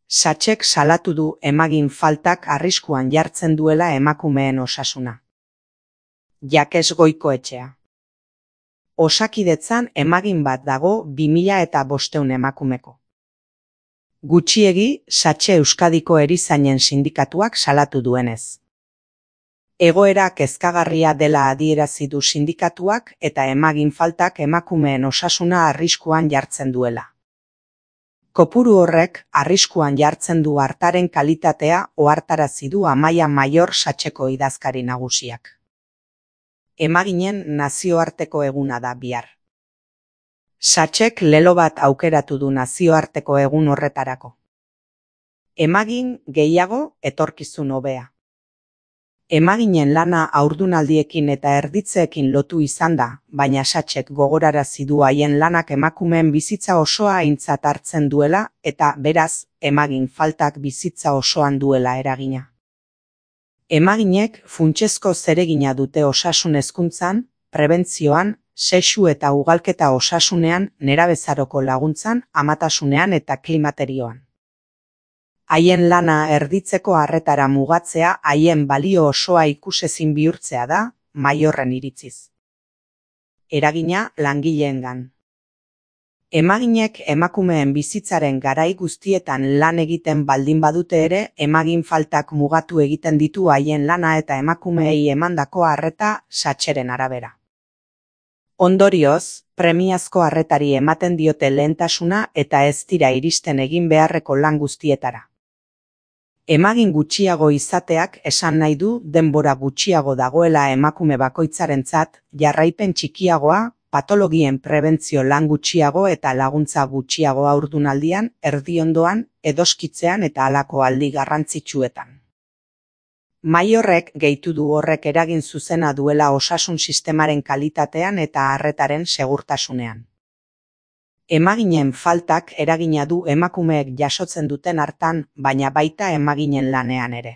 Satxek salatu du emagin faltak arriskuan jartzen duela emakumeen osasuna. Jakes Goikoetxea. Osakidetzan emagin bat dago 2500 emakumeko. Gutxiegi, Satxe Euskadiko erizainen sindikatuak salatu duenez. Egoera kezkagarria dela adierazi du sindikatuak eta emagin faltak emakumeen osasuna arriskuan jartzen duela. Kopuru horrek arriskuan jartzen du artaren kalitatea ohartarazi du Amaia Maior Satxeko idazkari nagusiak. Emaginen nazioarteko eguna da bihar. Satxek lelo bat aukeratu du nazioarteko egun horretarako. Emagin gehiago etorkizun hobea. Emaginen lana haurdunaldiekin eta erditzeekin lotu izan da, baina Satxek gogorarazi du haien lanak emakumeen bizitza osoa aintzat hartzen duela eta beraz, emagin faltak bizitza osoan duela eragina. Emaginek funtsezko zeregina dute osasun hezkuntzan, prebentzioan, sexu eta ugalketa osasunean, nerabezaroko laguntzan, amatasunean eta klimaterioan. Haien lana erditzeko arretara mugatzea haien balio osoa ikusezin bihurtzea da, Maiorren iritziz. Eragina langileengan. Emaginek emakumeen bizitzaren garai guztietan lan egiten baldin badute ere, emagin faltak mugatu egiten ditu haien lana eta emakumeei emandako arreta Satxeren arabera. Ondorioz, premiazko arretari ematen diote lehentasuna eta ez dira iristen egin beharreko lan guztietara. Emagin gutxiago izateak esan nahi du denbora gutxiago dagoela emakume bakoitzarentzat, jarraipen txikiagoa, patologien prebentzio lan gutxiago eta laguntza gutxiago haurdunaldian, erdiondoan, edoskitzean eta halako aldi garrantzitsuetan. Maiorrek gehitu du horrek eragin zuzena duela osasun sistemaren kalitatean eta arretaren segurtasunean. Emaginen faltak eragina du emakumeek jasotzen duten hartan, baina baita emaginen lanean ere.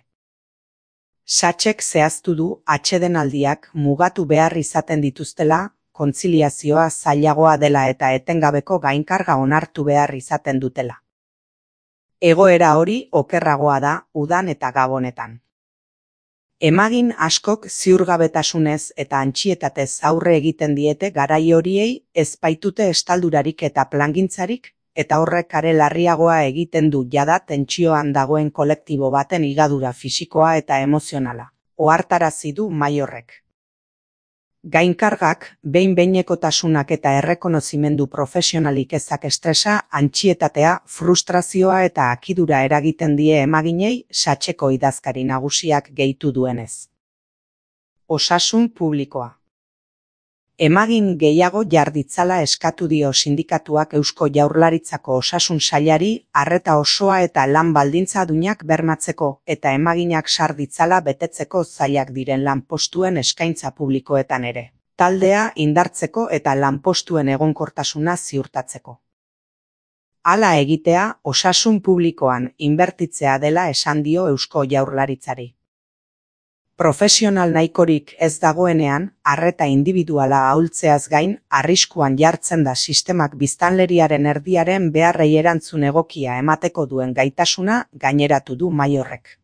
Satxek zehaztu du atsedenaldiak mugatu behar izaten dituztela, kontziliazioa zailagoa dela eta etengabeko gainkarga onartu behar izaten dutela. Egoera hori okerragoa da udan eta gabonetan. Emagin askok ziurgabetasunez eta antsietatez aurre egiten diete garai horiei ez baitute estaldurarik eta plangintzarik, eta horrek are larriagoa egiten du jada tentsioan dagoen kolektibo baten higadura fisikoa eta emozionala, ohartarazi du Maiorrek. Gainkargak, behin-behinekotasunak eta errekonozimendu profesionalik ezak estresa, antsietatea, frustrazioa eta akidura eragiten die emaginei Satxeko idazkari nagusiak gehitu duenez. Osasun publikoa. Emagin gehiago jarditzala eskatu dio sindikatuak Eusko Jaurlaritzako osasun sailari arreta osoa eta lan baldintza duinak bermatzeko eta emaginak sar ditzala betetzeko zailak diren lanpostuen eskaintza publikoetan ere. Taldea indartzeko eta lanpostuen egonkortasuna ziurtatzeko. Hala egitea osasun publikoan inbertitzea dela esan dio Eusko Jaurlaritzari. Profesional nahikorik ez dagoenean, arreta indibiduala ahultzeaz gain, arriskuan jartzen da sistemak biztanleriaren erdiaren beharrei erantzun egokia emateko duen gaitasuna gaineratu du Maiorrek.